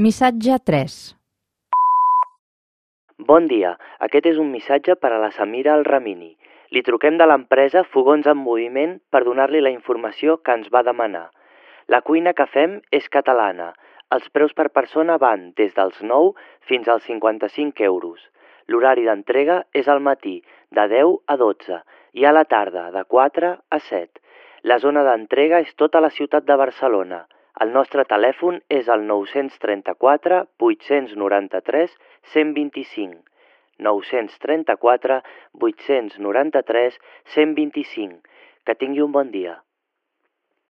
Missatge 3. Bon dia, aquest és un missatge per a la Samira Al-Ramini. Li truquem de l'empresa Fogons en Moviment per donar-li la informació que ens va demanar. La cuina que fem és catalana. Els preus per persona van des dels 9 fins als 55 euros. L'horari d'entrega és al matí, de 10 a 12, i a la tarda, de 4 a 7. La zona d'entrega és tota la ciutat de Barcelona. El nostre telèfon és el 934 893 125. 934 893 125. Que tingui un bon dia.